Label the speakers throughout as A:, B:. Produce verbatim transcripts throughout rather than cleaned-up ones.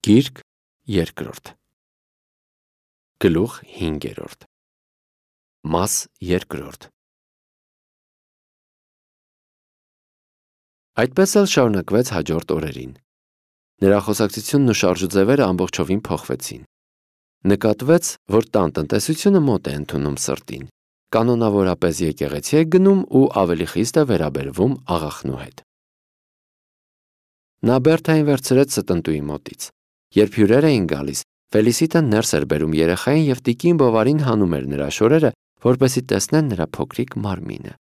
A: Գիրք երկրորդ Գլուխ հինգերորդ Մաս երկրորդ Այդպես էլ շարունակվեց հաջորդ օրերին։ Նրա խոսակցությունն ու շարժուձևերը ամբողջովին փոխվեցին։ Նկատվեց, որ տան տնտեսությունը մոտ է ընդունում սրտին, կանոնավորապես եկեղեցի է գնում ու ավելի խիստ է վերաբերվում աղախնու հետ։ Նա Բերթային վերցրեց ստնտուի մոտից։ Երբ հյուրեր էին գալիս, Ֆելիսիտը ներս էր բերում երեխային և տիկին Բովարին հանում էր նրա շորերը, որպեսզի տեսնեն նրա փոքրիկ մարմինը։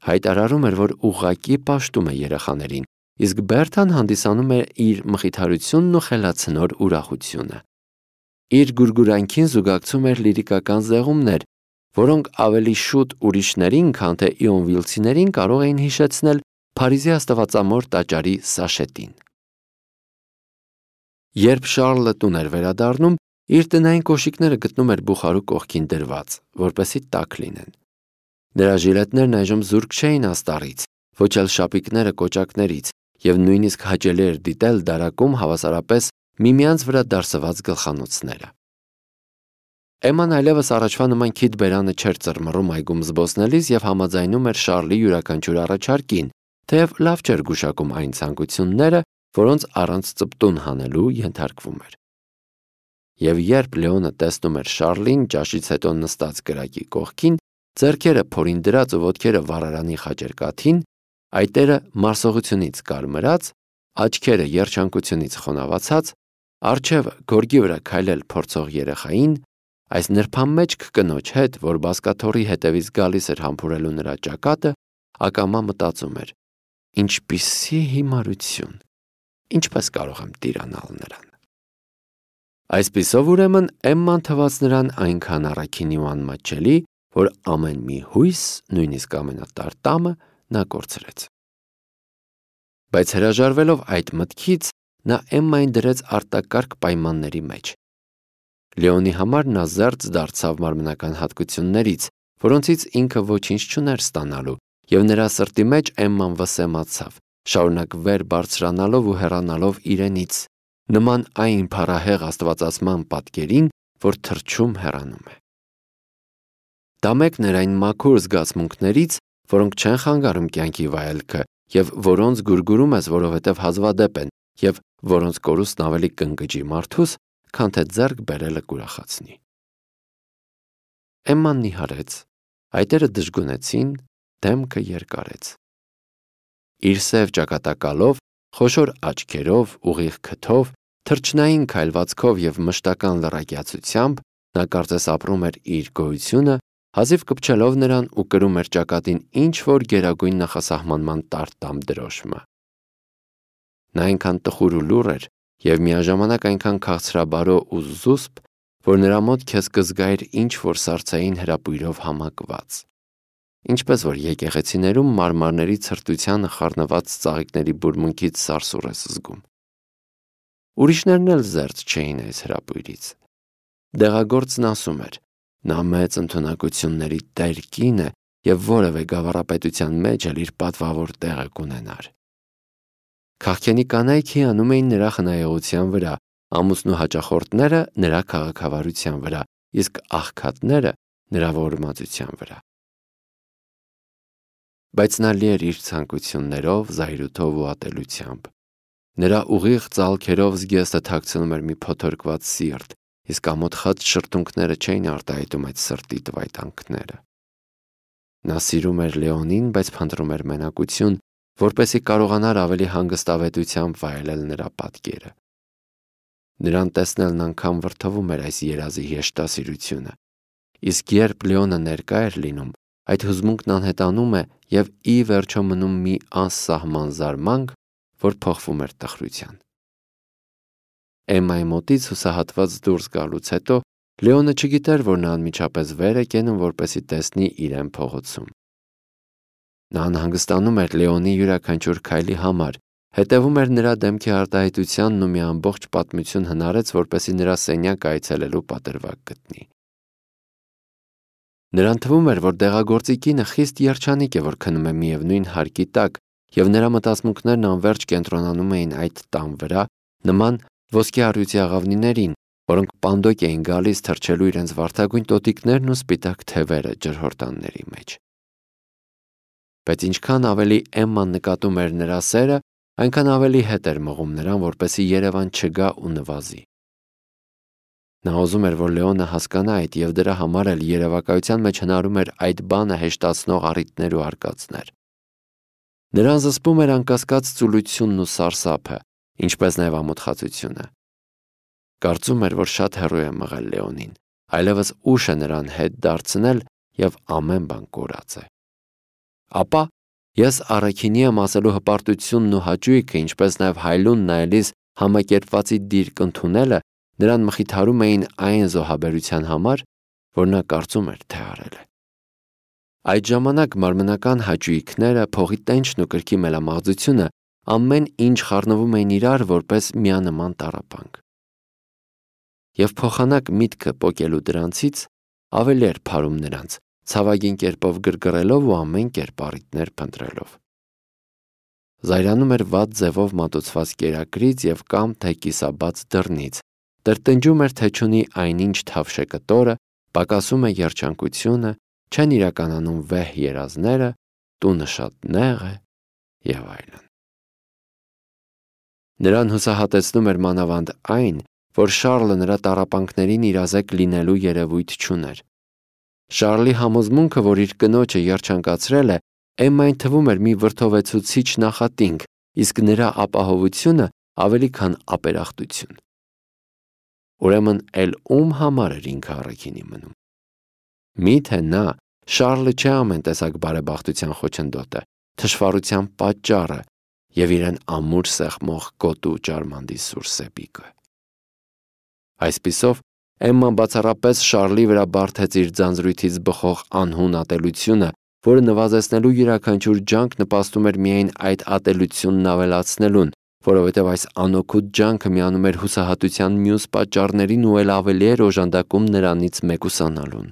A: Հայտարարում էր, որ ուղղակի պաշտում է երեխաներին, իսկ Բերթան հանդիսանում է իր մխիթարությունն ու խելացնոր ուրախությունը։ Իր գուրգուրանքին զուգակցում էր լիրիկական զեղումներ, որոնք ավելի շուտ ուրիշներին, քան թե իոնվիլցիներին կարող էին հիշեցնել Փարիզի աստվածամոր տաճարի Սաշետին։ Երբ Շառլը տուն էր վերադառնում, իր տնային կոշիկները գտնում էր բուխարու կողքին դրված, որպեսզի տաք լինեն։ Նրա ժիլետներն այժմ զուրկ չէին աստառից, ոչ էլ շապիկները կոճակներից, և նույնիսկ հաճելի էր դիտել դարակում հավասարապես միմյանց վրա դարսված գլխանոցները։ Էմման այլևս առաջվա նման քիթ բերանը չէր ծռմռում այգում զբոսնելիս և համաձայնում էր Շառլի յուրաքանչյուր առաջարկին, թեև լավ չէր գուշակում այն ցանկությունները, որոնց առանց ծպտուն հանելու ենթարկվում էր։ Եվ երբ Լեոնը տեսնում էր Շառլին ճաշից հետո նստած կրակի կողքին, ձեռքերը փորին դրած ու ոտքերը վառարանի խաչերկաթին, այտերը մարսողությունից կարմրած, աչքերը երջանկությունից խոնավացած, առջևը գորգի վրա քայլել փորձող երեխային, այս նրբամեջք կնոջ հետ, որ բազկաթոռի հետևից գալիս էր համբուրելու նրա ճակատը, ակամա մտածում էր. ինչպիսի հիմարություն, ինչպես կարող եմ տիրանալ նրան։ Այսպիսով ուրեմն Էմման թվաց նրան այնքան առաքինի ու անմատչելի, որ ամեն մի հույս, նույնիսկ ամենատար տամը, նա կորցրեց։ Բայց հրաժարվելով այդ մտքից, նա Էմմային դրեց արտակարգ պայմանների մեջ։ Լեոնի համար նա զերծ դարձավ մարմնական հատկություններից, որոնցից ինքը ոչինչ չուներ ստանալու, և նրա սրտի մեջ Էմման վսեմացավ, շարունակ վեր բարձրանալով ու հեռանալով իրենից, նման այն փառահեղ աստվածացման պատկերին, որ թռչում հեռանում է։ Դա մեկն էր այն մաքուր զգացմունքներից, որոնք չեն խանգարում կյանքի վայելքը և որոնց գուրգուրում ես, որովհետև հազվադեպ են և որոնց կորուստն ավելի կընկճի մարդուս, քան թե ձեռք բերելը կուրախացնի։ Էմման նիհարեց, այտերը դժգունեցին, դեմքը երկարեց։ Իր սև ճակատակալով, խոշոր աչքերով, ուղիղ քթով, թռչնային քայլվածքով և մշտական լռակյացությամբ նա կարծես ապրում էր իր գոյությունը, հազիվ կպչելով նրան ու կրում էր ճակատին ինչ-որ գերագույն նախասահմանման տարտամ դրոշմը։ Նա այնքան տխուր ու լուռ էր և միաժամանակ այնքան քաղցրաբարո ու զուսպ, որ նրա մոտ քեզ կզգայիր ինչ-որ սառցային հրապույրով համակված, ինչպես որ եկեղեցիներում մարմարների ցրտությանը խառնված ծաղիկների բուրմունքից սարսուռ ես զգում։ Ուրիշներն էլ զերծ չէին այս հրապույրից։ Դեղագործն ասում էր. նա մեծ ընդունակությունների տեր կին է և որևէ գավառապետության մեջ էլ իր պատվավոր տեղը կունենար։ Քաղքենի կանայք հիանում էին նրա խնայողության վրա, ամուսնու հաճախորդները նրա քաղաքավարության վրա, իսկ աղքատները նրա ոռմաձության վրա։ Բայց նա լի էր իր ցանկություններով, զայրույթով ու ատելությամբ։ Նրա ուղիղ ծալքերով զգեստը թաքցնում էր մի փոթորկված սիրտ, իսկ ամոթ խաչ շրթունքները չէին արտահայտում այդ սրտի տվայտանքները։ Նա սիրում էր Լեոնին, բայց փնտրում էր մենակություն, որպեսզի կարողանար ավելի հանգստավետությամբ վայելել նրա պատկերը։ Նրան տեսնելն անգամ վրդովում էր այս երազի հեշտասիրությունը, իսկ երբ Լեոնը ներկա էր լինում, այդ հուզմունքն անհետանում է և ի վերջո մնում մի անսահման զարմանք, որ փոխվում էր տխրության։ Էմմայի մոտից հուսահատված դուրս գալուց հետո Լեոնը չգիտեր, որ նա անմիջապես վեր է կենում, որպեսզի տեսնի իրեն փողոցում։ Նա անհանգստանում էր Լեոնի յուրաքանչյուր քայլի համար, հետևում էր նրա դեմքի արտահայտությանն ու մի ամբողջ պատմություն հնարեց, որպեսզի նրա սենյակը այցելելու պատրվակ գտնի։ Նրան թվում էր, որ դեղագործի կինը խիստ երջանիկ է, որ քնում է միևնույն հարկի տակ, և նրա մտածմունքներն անվերջ կենտրոնանում էին այդ տան վրա, նման ոսկե առյուծի աղավնիներին, որոնք պանդոկ էին գալիս թռչելու իրենց վարդագույն տոտիկներն ու սպիտակ թևերը ջրհորդանների մեջ։ Բայց ինչքան ավելի Էմման նկատում էր նրա սերը, այնքան ավելի հետ էր մղում նրան, որպեսզի Երևան չգա ու նվազի։ Նա ուզում էր, որ Լեոնը հասկանա այդ և դրա համար էլ երևակայության մեջ հնարում էր այդ բանը հեշտացնող առիթներ ու արկածներ։ Նրան զսպում էր անկասկած ծուլությունն ու սարսափը, ինչպես նաև ամոթխածությունը։ Կարծում էր, որ շատ հեռու է մղել Լեոնին, այլևս ուշ է նրան հետ դարձնել և ամեն բան կորած է։ Ապա ես առաքինի եմ ասելու հպարտությունն ու հաճույքը, ինչպես նաև հայլուն նայելիս համակերպվածի դիրք ընդունելը նրան մխիթարում էին այն զոհաբերության համար, որ նա կարծում էր, թե արել է։ Այդ ժամանակ մարմնական հաճույքները, փողի տենչն ու կրքի մելամաղձությունը ամեն ինչ խառնվում էին իրար որպես միանման տառապանք։ Եվ փոխանակ միտքը պոկելու դրանցից ավելի էր փարում նրանց, ցավագին կերպով գրգռելով ու ամեն կերպ առիթներ փնտրելով։ Զայրանում էր վատ ձևով մատուցված կերակրից և կամ թե կիսաբաց դռնից, տրտնջում էր, թե չունի այնինչ թավշե կտորը, պակասում է երջանկությունը, չեն իրականանում վեհ երազները, տունը շատ նեղ է և այլն։ Նրան հուսահատեցնում էր մանավանդ այն, որ Շառլը նրա տառապանքներին իրազեկ լինելու երևույթ չուներ։ Շառլի համոզմունքը, որ իր կնոջը երջանկացրել է, Էմմային թվում էր մի վրդովեցուցիչ նախատինք, իսկ նրա ապահովությունը ավելի քան ապերախտություն։ Ուրեմն էլ ում համար էր ինքը առաքինի մնում։ Միթե նա Շառլը չէ ամեն տեսակ բարեբախտության խոչընդոտը, թշվառության պատճառը և իրեն ամուր սեղմող գոտու ճարմանդի սուր սեպիկը։ Այսպիսով Էմման բացառապես Շառլի վրա բարդեց իր ձանձրույթից բխող անհուն ատելությունը, որը նվազեցնելու յուրաքանչյուր ջանք նպաստում էր միայն այդ ատելությունն ավելացնելուն, որովհետև այս անօգուտ ջանքը միանում էր հուսահատության մյուս պատճառներին ու էլ ավելի էր օժանդակում նրանից մեկուսանալուն։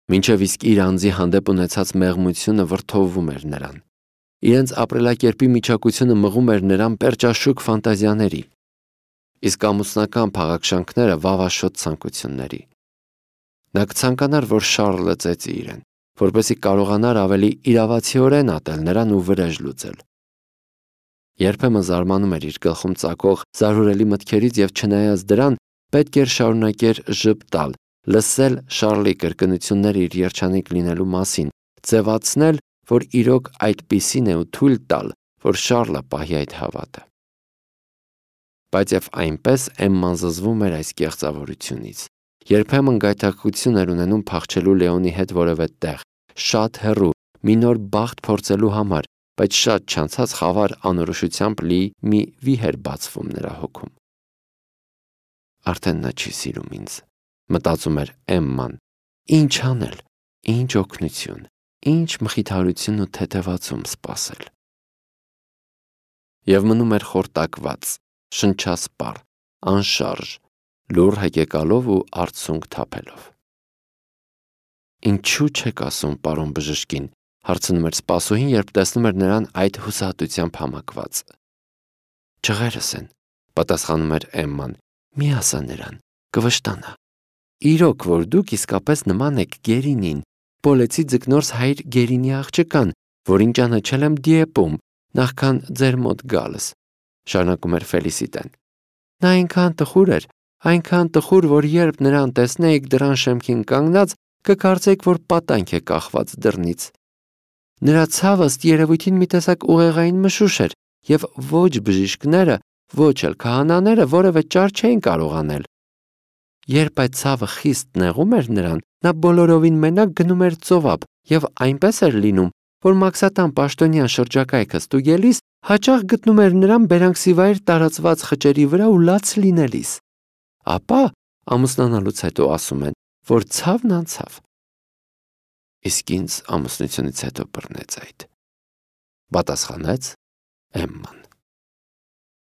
A: Մինչև իսկ իր անձի հանդեպ ունեցած մեղմությունը վրդովվում էր նրան։ Իրենց ապրելակերպի միջակությունը մղում էր նրան պերճաշուք ֆանտազիաների, իսկ ամուսնական փաղաքշանքները վավաշոտ ցանկությունների։ Նա կցանկանար, որ Շառլը ծեծի իրեն, որպեսզի կարողանար ավելի իրավացիորեն ատել նրան ու վրեժ լուծել։ Երբեմն զարմանում էր իր գլխում ծագող զարհուրելի մտքերից և չնայած դրան պետք էր շարունակեր ժպտալ, լսել Շառլի կրկնությունները իր երջանիկ լինելու մասին, ձևացնել, որ իրոք այդպիսին է ու թույլ տալ, որ Շառլը պահի այդ հավատը։ Բայց և այնպես Էմման զզվում էր այս կեղծավորությունից։ Երբեմն գայթակղություն էր ունենում փախչելու Լեոնի հետ որևէ տեղ, շատ հեռու, մի նոր բախտ փորձելու համար, բայց շատ չանցած խավար անորոշությամբ լի մի վիհ էր բացվում նրա հոգում։ Արդեն նա չի սիրում ինձ, մտածում էր Էմման։ Ինչ անել, ինչ օգնություն, ինչ մխիթարություն ու թեթևացում սպասել։ Եվ մնում էր խորտակված, շնչասպառ, անշարժ, լուռ հեկեկալով ու արցունք թափելով։ Ինչու չեք ասում, պարոն բժշկին, հարցնում էր սպասուհին, երբ տեսնում էր նրան այդ հուսահատությամբ համակված։ Ջղերս են, պատասխանում էր Էմման, մի ասա նրան, կվշտանա։ Իրոք, որ դուք իսկապես նման եք Գերինին, Պոլեցի ձկնորս հայր Գերինի աղջկան, որին ճանաչել եմ Դիեպում, նախքան ձեր մոտ գալս, շարունակում էր Ֆելիսիտեն։ Նա այնքան տխուր էր, այնքան տխուր, որ երբ նրան տեսնեիք դռան շեմքին կանգնած, կկարծեիք, որ պատանք է կախված դռնից։ Նրա ցավը ըստ երևույթին մի տեսակ ուղեղային մշուշ էր, և ոչ բժիշկները, ոչ էլ քահանաները որևէ ճար չէին կարող անել։ Երբ այդ ցավը խիստ նեղում էր նրան, նա բոլորովին մենակ գնում էր ծովափ և այնպես էր լինում, որ մաքսատան պաշտոնյան շրջակայքը ստուգելիս հաճախ գտնում էր նրան բերանքսիվայր տարածված խճերի վրա ու լաց լինելիս։ Ապա ամուսնանալուց հետո ասում են, որ ցավն անցավ։ Իսկ ինձ ամուսնությունից հետո բռնեց այդ, պատասխանեց Էմման։